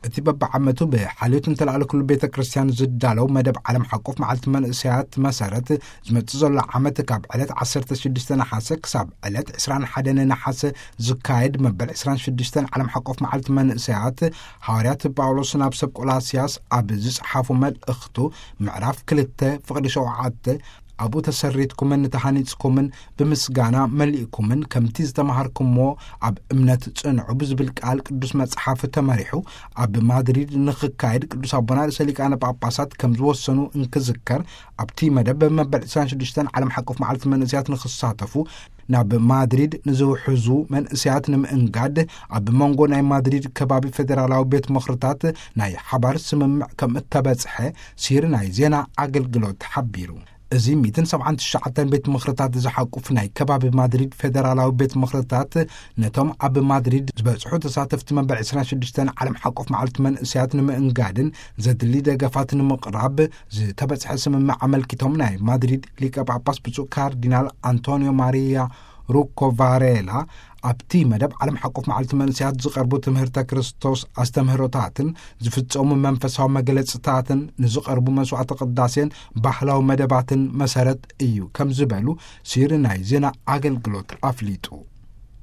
እቲ በብዓመቱ ብሓልዮት እንተለኣለ ኩሉ ቤተ ክርስቲያን ዝዳለው መደብ ዓለም ሓቆፍ መዓልቲ መንእሰያት መሰረት፣ ዝመጽእ ዘሎ ዓመት ካብ ዕለት ዓሰርተ ሽዱሽተ ነሓሰ ክሳብ ዕለት ዕስራን ሓደን ነሓሰ ዝካየድ መበል ዕስራን ሽዱሽተን ዓለም ሓቆፍ መዓልቲ መንእሰያት፣ ሃዋርያት ጳውሎስ ናብ ሰብ ቆላስያስ ኣብ ዝጸሓፎ መልእኽቱ፣ ምዕራፍ ክልተ ፍቕዲ ሸውዓተ፣ ኣብኡ ተሰሪትኩምን ተሃኒጽኩምን፣ ብምስጋና መሊእኩምን፣ ከምቲ ዝተማሃርኩሞ ኣብ እምነት ጽንዑ ብዝብል ቃል ቅዱስ መጽሓፍ ተመሪሑ፣ ኣብ ማድሪድ ንኽካየድ ቅዱስ ኣቦና ርእሰ ሊቃነ ጳጳሳት ከም ዝወሰኑ እንክዝከር፣ ኣብቲ መደብ መበል ዕስራን ሽዱሽተን ዓለም ሓቆፍ መዓልቲ መንእሰያት ንኽሳተፉ ናብ ማድሪድ ንዝውሕዙ መንእሰያት ንምእንጋድ፣ ኣብ መንጎ ናይ ማድሪድ ከባቢ ፌደራላዊ ቤት ምኽርታት ናይ ሓባር ስምምዕ ከም እተበጽሐ ሲር ናይ ዜና ኣገልግሎት ሓቢሩ። እዚ ሚእትን ሰብዓን ትሽዓተን ቤት ምኽርታት ዝሓቁፍ ናይ ከባቢ ማድሪድ ፌደራላዊ ቤት ምኽርታት፣ ነቶም ኣብ ማድሪድ ዝበጽሑ ተሳተፍቲ መበል ዕስራን ሽዱሽተን ዓለም ሓቆፍ መዓልቲ መንእሰያት ንምእንጋድን ዘድሊ ደገፋት ንምቕራብ ዝተበጽሐ ስምምዕ ኣመልኪቶም፣ ናይ ማድሪድ ሊቀ ጳጳስ ብፁዕ ካርዲናል ኣንቶኒዮ ማሪያ ሩኮ ቫሬላ፣ ኣብቲ መደብ ዓለም ሓቆፍ መዓልቲ መንእሰያት ዝቐርቡ ትምህርተ ክርስቶስ ኣስተምህሮታትን ዝፍጸሙ መንፈሳዊ መግለጽታትን፣ ንዝቐርቡ መስዋዕተ ቅዳሴን ባህላዊ መደባትን መሰረት እዩ ከም ዝበሉ ሲሪ ናይ ዜና ኣገልግሎት ኣፍሊጡ።